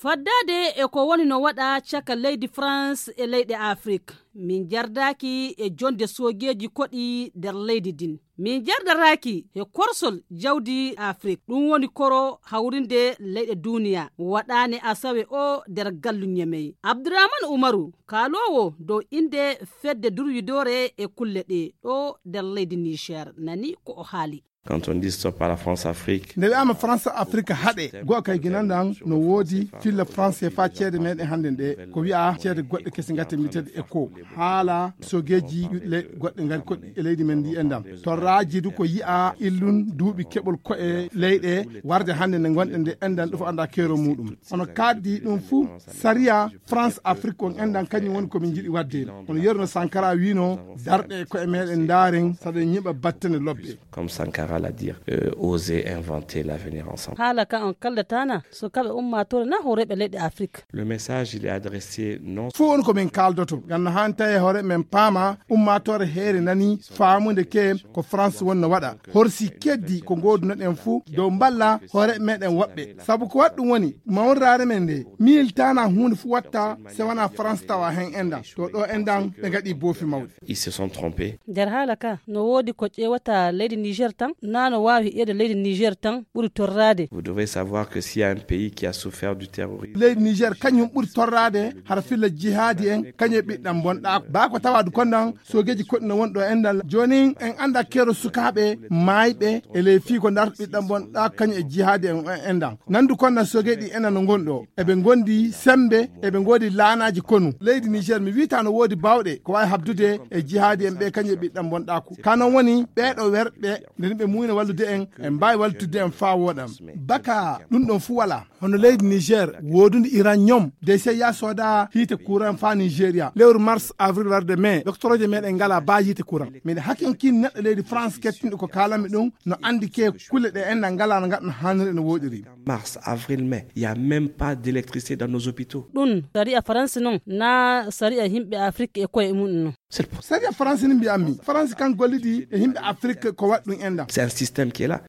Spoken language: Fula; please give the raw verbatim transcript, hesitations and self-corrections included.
Faddaade e ko woni no waɗa caka leydi France e leyɗe Afrik, min njardaaki e jonde soogeeji koɗi nder leydi ndin. Min njardaraaki e korsol jawdi Afrik, ɗum woni koro hawrinde leyɗe duniya, waɗaane asawe o nder gallu Ñemey. Abdourahmane Oumarou, kaaloowo dow innde fedde durwidoore e kulle ɗe ɗo nder leydi Niger, nani ko o haali. Quand on dit stop à la France-Afrique, nde wi'ama France Afrique haɗe, go'o kay ginandan no woodi filla France e faa ceede meɗen hannde nde, ko wi'a ceede goɗɗe kese ngate mbiteɗe éco. Haala sogeeji le-, goɗɗe ngari koɗi e leydi men ndi enɗan. Torraaji du ko yi'a illun duuɓi keɓol ko'e leyɗe warde hannde nde ngonɗen nde enɗan ɗo fof annda keero muɗum. Hono kaddi ɗum fuu sariya France Afrique on enɗan kañum woni ko min njiɗi wadde. Hono Yerno Sankara wiino, darɗe e ko'e meɗen ndaaren saɗa ñiɓa battane lobbe. Comme Sankara l'a dit, euh, oser inventer l'avenir ensemble. Haala ka on kaldataana, so kaɓe ummaatore na hooreeɓe leyɗe Afrik. Le message, il est adressé non. Fof woni ko min kaaldoto. Ngam no haani tawi hoore men paama, ummaatore heere nani faamude ke ko France wonno waɗa. Horsi keddi ko ngoodunoɗen fuu dow mballa hoore meɗen woɓɓe. Sabu ko waɗi ɗum woni, mawniraare men nde, miiltaana huunde fuu watta se wonaa France tawa heen enɗan. To ɗo enɗan ɓe ngaɗi boofi mawɗi. Ils se sont trompés. Nder haala ka, no woodi ko ƴeewata leydi Niger tan, naa no waawi heƴeede leydi Niger tan ɓuri torraade. Vous devez savoir que s'il y a un pays qui a souffert du terrorisme, leydi Niger kañum ɓuri torraade hara filla jihaadi en, kañum e ɓiɗɗan bonɗaa. Baa ko tawaadu kondan, soogeeji koɗi no won ɗo enɗan. Joonin en annda keero sukaaɓe maayɓe e ley fii ko ndarta ɓiɗɗan bonɗaa kañum e jihaadi en enɗan. Nandu kondan soogeeji ɗi enɗan no ngon ɗo. Eɓe ngondi sembe, eɓe ngoodi laanaaji konu. Leydi Niger mi wiita no woodi baawɗe ko waawi habdude e jihaadi en ɓe kañum e ɓiɗɗan bonɗaaku. Ka non woni ɓee ɗo werɓe, nde ɓe muuyna wallude en, en mbaawi wallitudde en faa wooɗan. Baka ɗum ɗon fuu walaa. Hono leydi Niger, woodunde uranium, de sey yaa sooda hiite courant faa Nigeria. Lewru mars, avril warde mai, doctorooje meɗen ngalaa baa hiite courant. Miɗa hakinkin neɗɗo leydi France kettinɗo ko kaalanmi ɗum, no anndi ke kulle ɗe enɗan ngalaa no ngaɗa no haaniri e no wooɗiri. Mars, avril, mai, il y a même pas d'électricité dans nos hôpitaux. Ɗum sariya France non, naa sariya yimɓe Afrik e koye mum non. C'est le pro- Sariya France ni mbiyammi. France kan gollidi e yimɓe Afrik ko waɗi ɗum enɗan. C'est un système qui est là.